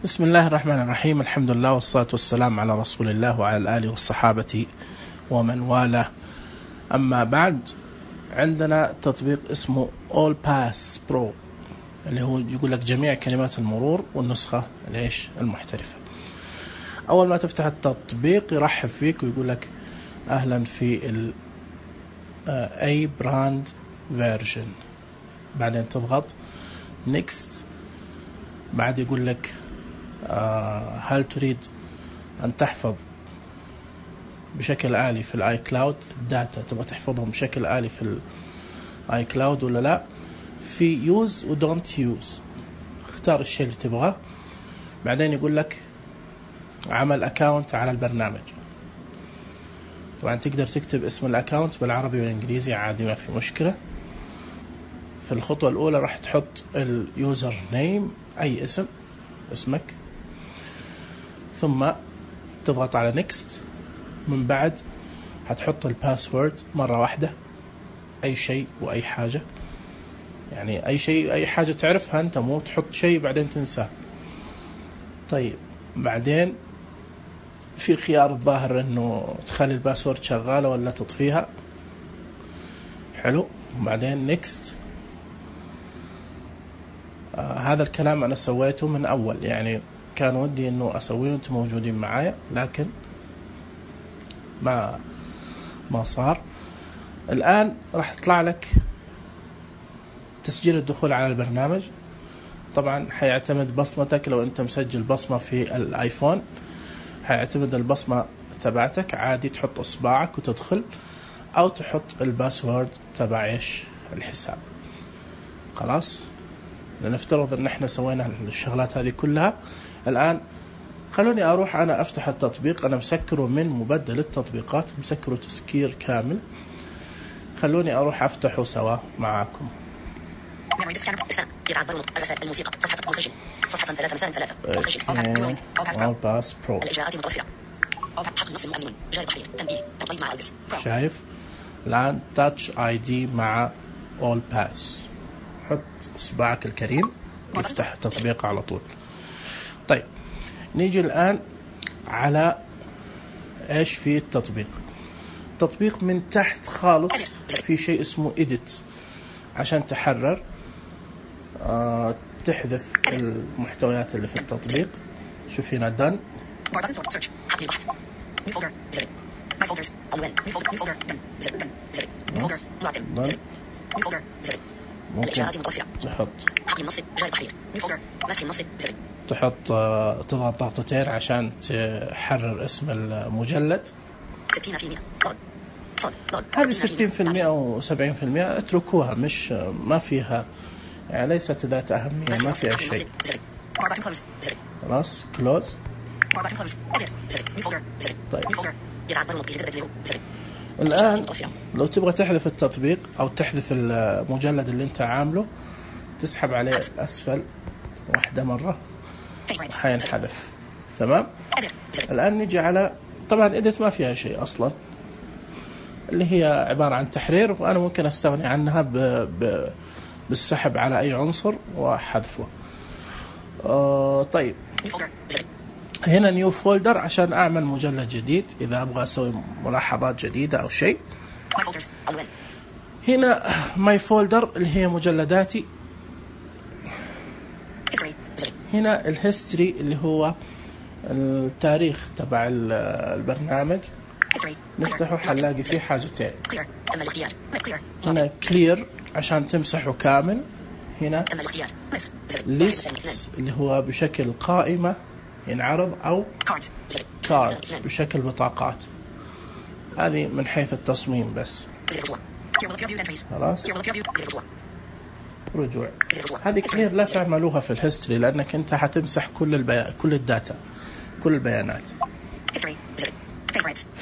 بسم الله الرحمن الرحيم. الحمد لله والصلاة والسلام على رسول الله وعلى الآله والصحابة ومن والاه. أما بعد، عندنا تطبيق اسمه All Pass Pro اللي هو يقول لك جميع كلمات المرور والنسخة المحترفة. أول ما تفتح التطبيق يرحب فيك ويقول لك أهلا في ال A brand version. بعدين تضغط Next. بعد يقول لك هل تريد أن تحفظ بشكل آلي في الآي كلاود الداتا، تبغى تحفظهم بشكل آلي في الآي كلاود ولا لا؟ في يوز ودونت يوز، اختار الشيء اللي تبغاه. بعدين يقول لك عمل أكاونت على البرنامج. طبعا تقدر تكتب اسم الأكاونت بالعربي والإنجليزي عادي، ما في مشكلة. في الخطوة الأولى راح تحط اليوزر نيم، أي اسمك، ثم تضغط على نيكست. من بعد هتحط الباسورد مرة واحدة، أي شيء وأي حاجة، يعني أي شيء أي حاجة تعرفها أنت، مو تحط شيء بعدين تنساه. طيب بعدين في خيار الظاهر إنه تخلي الباسورد شغالة ولا تطفيها. حلو. بعدين نيكست. هذا الكلام أنا سويته من أول، يعني كان ودي إنه أسويه وأنتم موجودين معايا، لكن ما صار. الآن راح يطلع لك تسجيل الدخول على البرنامج. طبعا حيعتمد بصمتك، لو أنت مسجل بصمة في الآيفون حيعتمد البصمة تبعتك، عادي تحط إصبعك وتدخل، أو تحط الباسورد تبع الحساب. خلاص، لنفترض ان احنا سوينا الشغلات هذه كلها. الان خلوني اروح انا افتح التطبيق، انا مسكره من مبدل التطبيقات، مسكره تسكير كامل. خلوني اروح افتحه سوا معاكم. شايف الان تاتش اي دي مع اول باس. حط إصبعك الكريم يفتح التطبيق على طول. طيب نيجي الآن على إيش في التطبيق. التطبيق من تحت خالص في شيء اسمه Edit عشان تحرر، تحذف المحتويات اللي في التطبيق. شوف هنا done. ممكن تحط تضغط ضغطتين عشان تحرر اسم المجلد. 60% هذه 60% أو 70% اتركوها، مش ما فيها، يعني ليست ذات أهمية، ما فيها شيء. خلاص كلوز. طيب الآن لو تبغى تحذف التطبيق أو تحذف المجلد اللي أنت عامله، تسحب عليه أسفل واحدة مرة حينحذف. تمام. الآن نيجي على، طبعا إديت ما فيها شيء أصلا، اللي هي عبارة عن تحرير، وأنا ممكن أستغني عنها بالسحب على أي عنصر وحذفه. طيب هنا نيو فولدر عشان أعمل مجلد جديد إذا أبغى أسوي ملاحظات جديدة أو شيء. هنا ماي فولدر اللي هي مجلداتي. هنا الهيستوري اللي هو التاريخ تبع البرنامج. نفتحه حنلاقي فيه حاجتين. هنا كلير عشان تمسحه كامل. هنا ليست اللي هو بشكل قائمة ينعرض، أو كارد بشكل بطاقات. هذه من حيث التصميم بس. خلاص. رجوع. هذه كلير لا تعملوها في الهيستوري، لأنك أنت حتمسح كل الداتا، كل البيانات.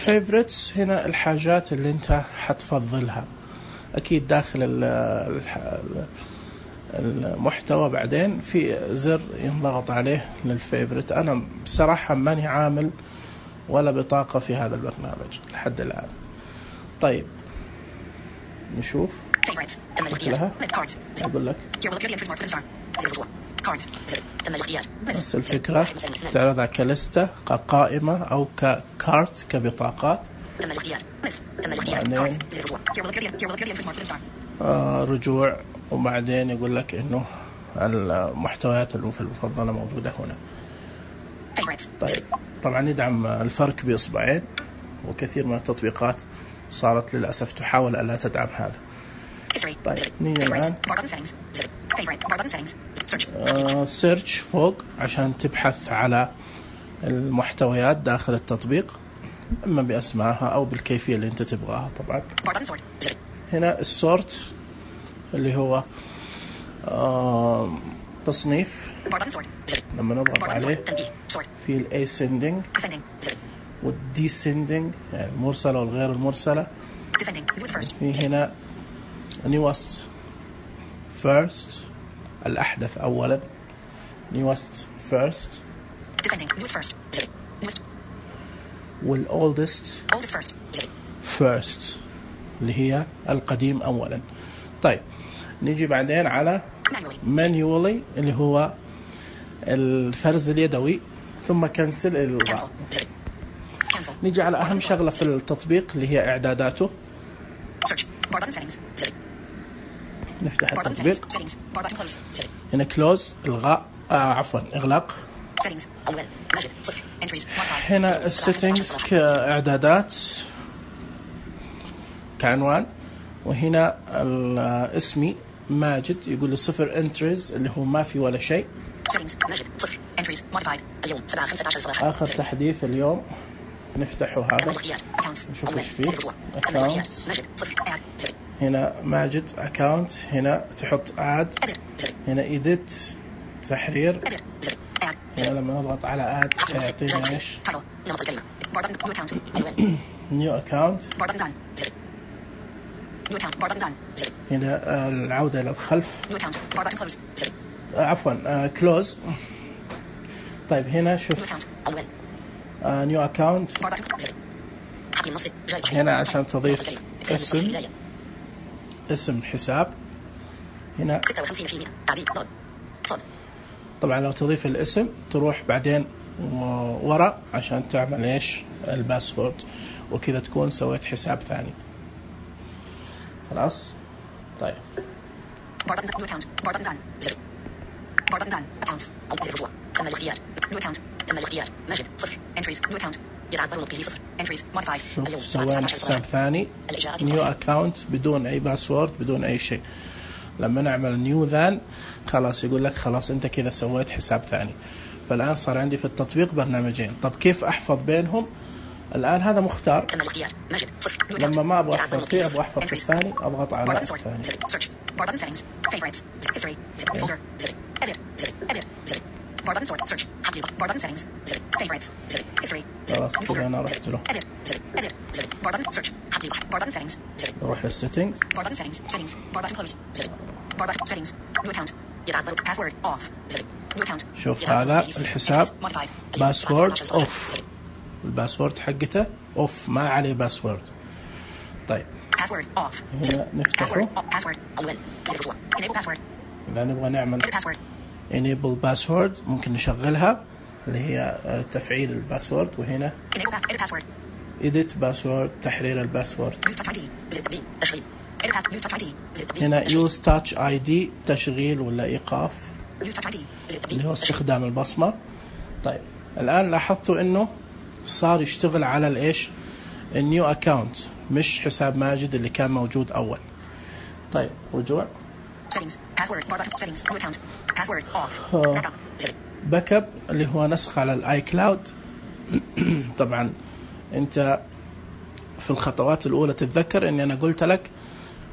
favorites هنا الحاجات اللي أنت حتفضلها، أكيد داخل المحتوى. بعدين في زر ينضغط عليه للفيفوريت. أنا بصراحة ماني عامل ولا بطاقة في هذا البرنامج لحد الآن. طيب نشوف لها. أقول لك نفس الفكرة تعرضها كلستة كقائمة أو ككارت كبطاقات. رجوع وبعدين يقول لك إنه المحتويات المفضلة موجودة هنا. طيب طبعا يدعم الفرك بإصبعين، وكثير من التطبيقات صارت للأسف تحاول ألا تدعم هذا. طيب نيجي الآن سيرش فوق عشان تبحث على المحتويات داخل التطبيق، إما بأسمائها أو بالكيفية اللي أنت تبغاها. طبعا هنا السورت اللي هو تصنيف، لما نضغط عليه في الاسندنج والديسندنج، يعني المرسلة والغير المرسلة. في هنا newest first الأحدث أولا، newest first، والoldest first اللي هي القديم أولا. طيب نيجي بعدين على manually اللي هو الفرز اليدوي، ثم كنسل الإلغاء. نيجي على أهم شغلة في التطبيق اللي هي إعداداته. نفتح التطبيق هنا كلوز إلغاء إغلاق. هنا السيتنجز كإعدادات كعنوان، وهنا الاسمي ماجد يقول له 0 entries اللي هو ما في ولا شيء. آخر تحديث اليوم نفتحه هذا نشوف ايش فيه. accounts هنا ماجد account، هنا تحط add، هنا edit تحرير. هنا لما نضغط على add يعطينا ايش new account. هنا العودة للخلف، عفوا close. طيب هنا شوف new account، هنا عشان تضيف اسم حساب. هنا طبعا لو تضيف الاسم تروح بعدين وراء عشان تعمل ايش الباسورد، وكذا تكون سويت حساب ثاني. خلاص. طيب شوف سوينا حساب ثاني نيو اكاونت بدون اي باسورد بدون اي شيء. لما نعمل نيو ذان خلاص يقول لك خلاص انت كذا سويت حساب ثاني. فالان صار عندي في التطبيق برنامجين. طب كيف احفظ بينهم؟ الان هذا مختار، لما ما ابغى احفظ فيه ابغى احفظ في الثاني اضغط على الثاني. خلاص كذا انا رحت له. نروح للسيتنجز. شوف هذا الحساب باسورد اوف، الباسورد حقته اوف ما عليه باسورد. طيب هنا نفتحه. إذا نبغى نعمل enable password ممكن نشغلها اللي هي تفعيل الباسورد، وهنا edit password تحرير الباسورد. هنا use touch ID تشغيل ولا إيقاف اللي هو استخدام البصمة. طيب الآن لاحظتوا إنه صار يشتغل على الإيش النيو أكاونت مش حساب ماجد اللي كان موجود أول. طيب رجوع باك اب اللي هو نسخ على الاي كلاود. طبعا انت في الخطوات الاولى تتذكر اني انا قلت لك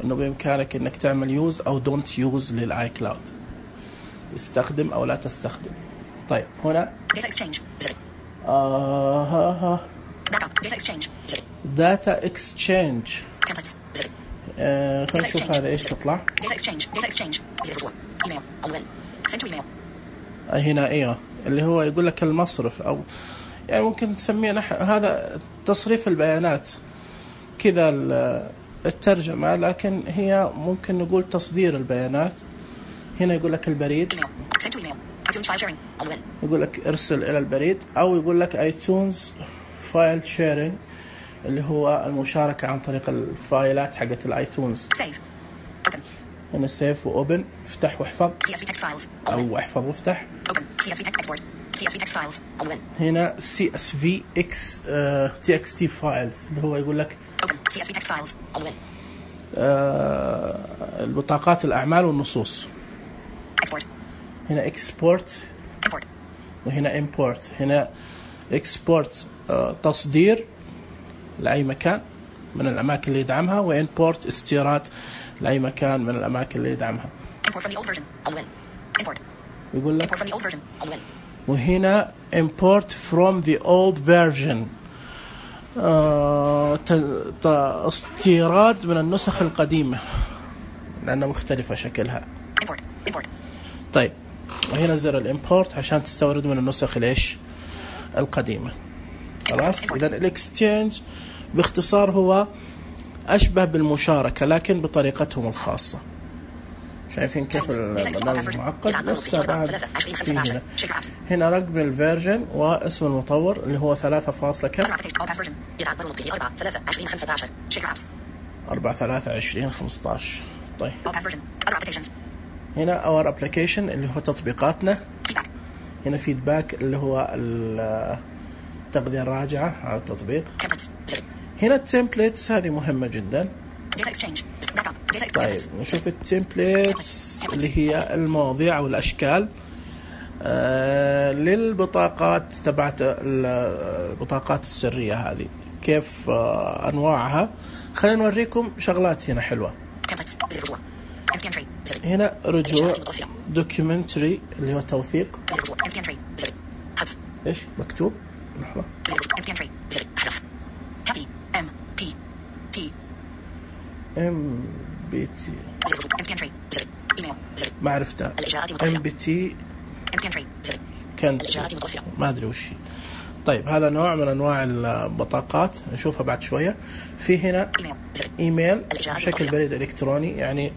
انه بامكانك انك تعمل يوز او دونت يوز للاي كلاود، استخدم او لا تستخدم. طيب هنا داتا اكسشينج خلينا نشوف هذا ايش تطلع. هنا ايوه اللي هو يقول لك المصرف، او يعني ممكن تسميه هذا تصريف البيانات كذا الترجمة، لكن هي ممكن نقول تصدير البيانات هنا يقول لك البريد، يقول لك ارسل إلى البريد، أو يقول لك ايتونز فايل شيرينج اللي هو المشاركة عن طريق الفايلات حقت الايتونز. هنا سيف وأوبن، افتح واحفظ أو احفظ وافتح. هنا CSV TXT files اللي هو يقول لك البطاقات الأعمال والنصوص. هنا export وهنا import. هنا export تصدير لأي مكان من الأماكن اللي يدعمها، وimport استيراد لأي مكان من الأماكن اللي يدعمها. يقول لك وهنا import from the old version استيراد من النسخ القديمة لأنها مختلفة شكلها. طيب وهنا زر الامبورت عشان تستورد من النسخ ليش القديمة. خلاص. إذا الاكستشينج باختصار هو أشبه بالمشاركة لكن بطريقتهم الخاصة. شايفين كيف البرنامج معقد؟ لسه بعد فيه هنا رقم الفيرجن واسم المطور اللي هو 3 كم 4/3/2015. طيب هنا our application اللي هو تطبيقاتنا. هنا فيدباك اللي هو التغذية الراجعة على التطبيق. هنا التمبليتس هذه مهمة جدا. طيب نشوف التمبليتس اللي هي المواضيع والأشكال للبطاقات تبعت البطاقات السرية هذه كيف أنواعها. خلينا نوريكم شغلات هنا حلوة. هنا رجوع دوكيومنتري اللي هو توثيق. إيش مكتوب؟ لحظة. MBT ما عرفتها. MBT كانت ما أدري وش. طيب هذا نوع من أنواع البطاقات نشوفها بعد شوية. في هنا إيميل بشكل بريد إلكتروني، يعني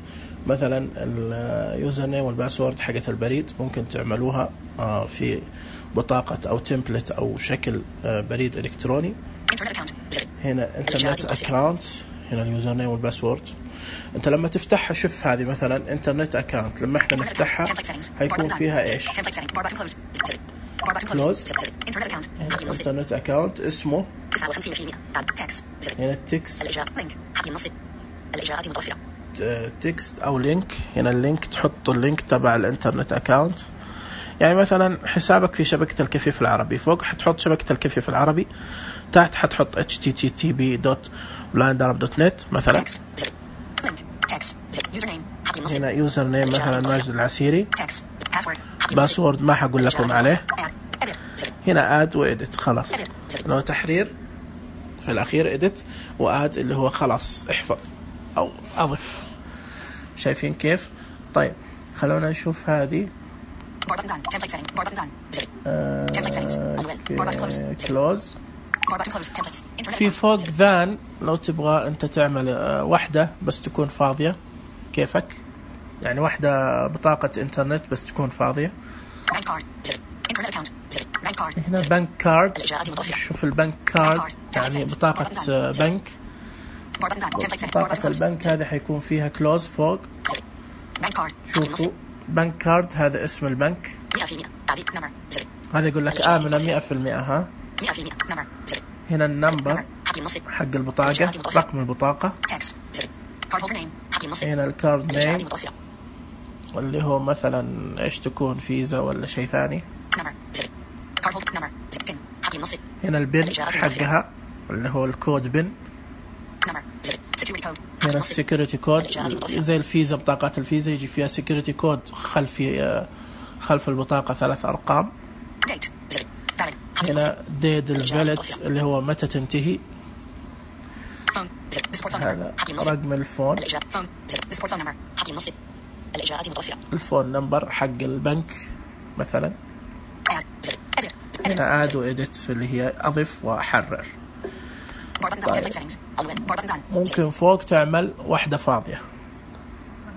مثلا اليوزر نيم والباسورد حقت البريد ممكن تعملوها في بطاقة أو تمبلت أو شكل بريد إلكتروني. هنا إنترنت أكاونت، هنا اليوزر نيم والباسورد. انت لما تفتحها شوف هذه مثلا انترنت اكاونت، لما احنا نفتحها هيكون فيها ايش؟ كلوز. انترنت اكاونت اسمه هنا تكست او لينك. هنا اللينك تحط اللينك تبع الانترنت اكاونت. يعني مثلا حسابك في شبكة الكفيف العربي، فوق حتحط شبكة الكفيف العربي، تحت حتحط http://blindarab.net مثلا. هنا يوزر نيم مثلا ماجد العسيري، باسورد ما حقول لكم عليه. هنا اد وإدت، خلاص لو تحرير في الأخير إدت، واد اللي هو خلاص احفظ أو أضف. شايفين كيف؟ طيب خلونا نشوف هذه كلوز. في فوق ذان لو تبغى أنت تعمل واحدة بس تكون فاضية كيفك، يعني واحدة بطاقة إنترنت بس تكون فاضية. هنا بنك كارد. شوف البنك كارد يعني بطاقة بنك. بطاقة البنك هذه حيكون فيها كلوز فوق. شوفوا بنك كارد هذا اسم البنك. هذا يقول لك آمنة 100%. ها هنا النمبر حق البطاقة، رقم البطاقة. هنا الكارد نيم اللي هو مثلا ايش تكون فيزا ولا شيء ثاني. هنا البن حقها اللي هو الكود بن. هنا السيكوريتي كود زي الفيزا، بطاقات الفيزا يجي فيها سيكوريتي كود خلف البطاقة 3 أرقام. هنا ديد الفاليد اللي هو متى تنتهي. هذا رقم الفون، الفون نمبر حق البنك مثلا. هنا اد وإدت اللي هي أضف وأحرر. طيب. ممكن فوق تعمل واحدة فاضية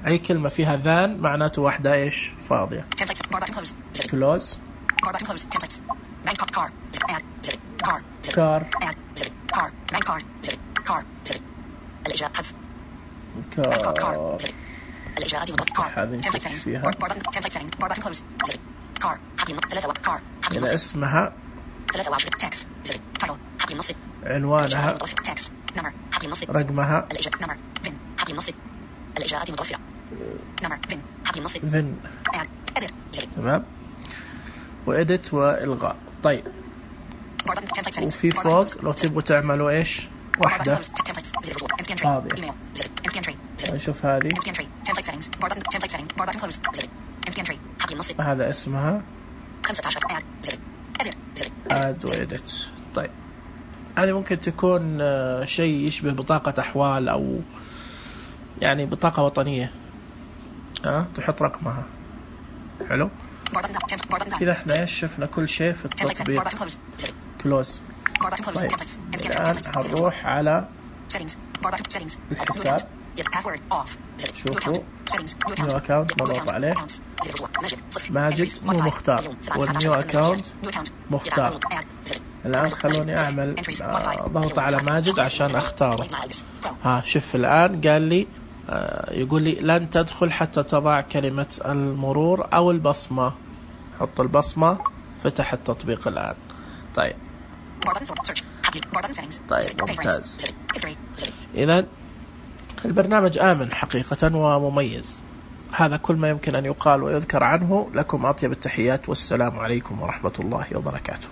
أي كلمة فيها ذان معناته واحدة إيش فاضية. close car هذه نشوف فيها إذا اسمها عنوانها رقمها فين تمام وإديت وإلغاء. طيب وفي فوق لو تبغوا تعملوا إيش واحدة فاضية نشوف هذه هذا اسمها add وإديت. طيب هذه ممكن تكون شيء يشبه بطاقة أحوال أو يعني بطاقة وطنية تحط رقمها. حلو كذا احنا ايش شفنا كل شيء في التطبيق كلوز. طيب الآن هنروح على الحساب شوفوا نيو اكاونت مضغوط عليه ماجد مو مختار والنيو اكاونت مختار. الآن خلوني أعمل ضغط على ماجد عشان أختاره. شوف الآن قال لي يقول لي لن تدخل حتى تضع كلمة المرور أو البصمة. حط البصمة فتح التطبيق الآن. طيب ممتاز. إذن البرنامج آمن حقيقة ومميز. هذا كل ما يمكن أن يقال ويذكر عنه. لكم أطيب التحيات والسلام عليكم ورحمة الله وبركاته.